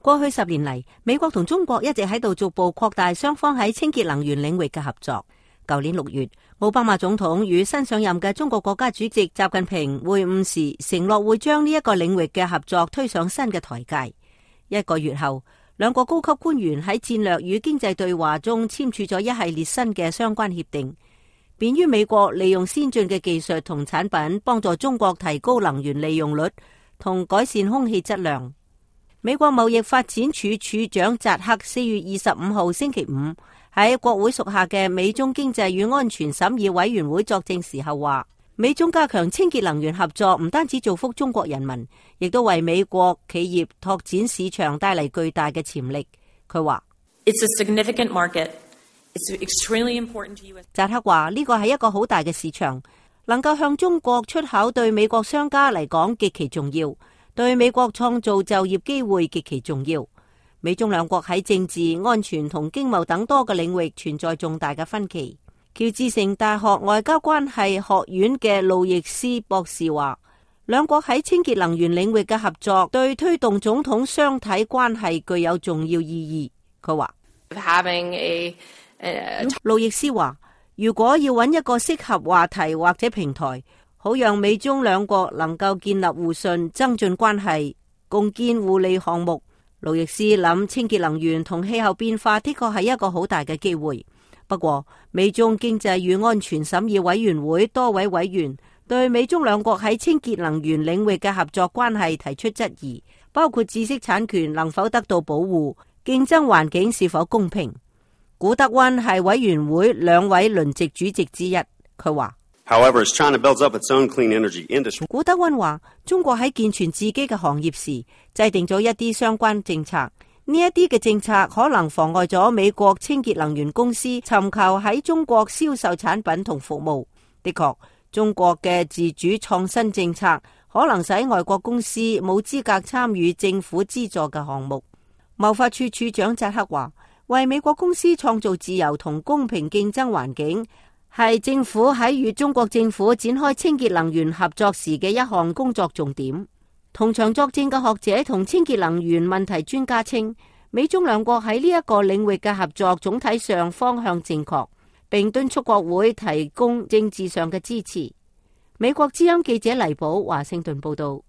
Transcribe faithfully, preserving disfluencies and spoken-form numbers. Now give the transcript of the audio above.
過去十年嚟，美國同中國一直喺度逐步擴大雙方喺清潔能源領域嘅合作。舊年六月，奧巴馬總統與新上任嘅中國國家主席習近平會晤時，承諾會將呢一個領域嘅合作推上新嘅台階。一個月後，兩國高級官員喺戰略與經濟對話中簽署咗一系列新嘅相關協定，便於美國利用先進嘅技術同產品，幫助中國提高能源利用率同改善空氣質量。美國貿易發展署署長扎克四月二十五號星期五喺國會屬下嘅美中經濟與安全審議委員會作證時候話，美中加強清潔能源合作唔單止造福中國人民，亦都為美國企業拓展市場帶嚟巨大嘅潛力。佢話It's a significant market. It's extremely important to U S. 扎克話呢個係一個好大嘅市場，能夠向中國出口對美國商家嚟講極其重要，對美國創造就業機會極其重要。美中兩國喺政治、安全同經貿等多個領域存在重大嘅分歧。喬治城大學外交關係學院嘅路易斯博士話，兩國喺清潔能源領域嘅合作對推動總統雙體關係具有重要意義。佢話，Having a, a... 路易斯話，如果要揾一個適合話題或者平台，好讓美中兩國能夠建立互信、增進關係、共建互利項目。路易斯諗清潔能源同氣候變化的確係一個好大嘅機會。不過，美中經濟與安全審議委員會多位委員對美中兩國喺清潔能源領域嘅合作關係提出質疑，包括知識產權能否得到保護、競爭環境是否公平。古德溫係委員會兩位輪值主席之一，佢話However, as China builds up its own clean energy industry, 古德溫話，中國喺健全自己嘅行業時，制定咗一啲相關政策。呢一啲嘅政策可能妨礙咗美國清潔能源公司尋求喺中國銷售產品同服務。的確，中國嘅自主創新政策可能使外國公司冇資格參與政府資助嘅項目。貿發處處長扎克話，為美國公司創造自由同公平競爭環境，係政府喺與中國政府展開清潔能源合作時嘅一項工作重點。同場作證嘅學者同清潔能源問題專家稱，美中兩國喺呢一個領域嘅合作總體上方向正確，並敦促國會提供政治上嘅支持。美國之音記者黎寶華盛頓報道。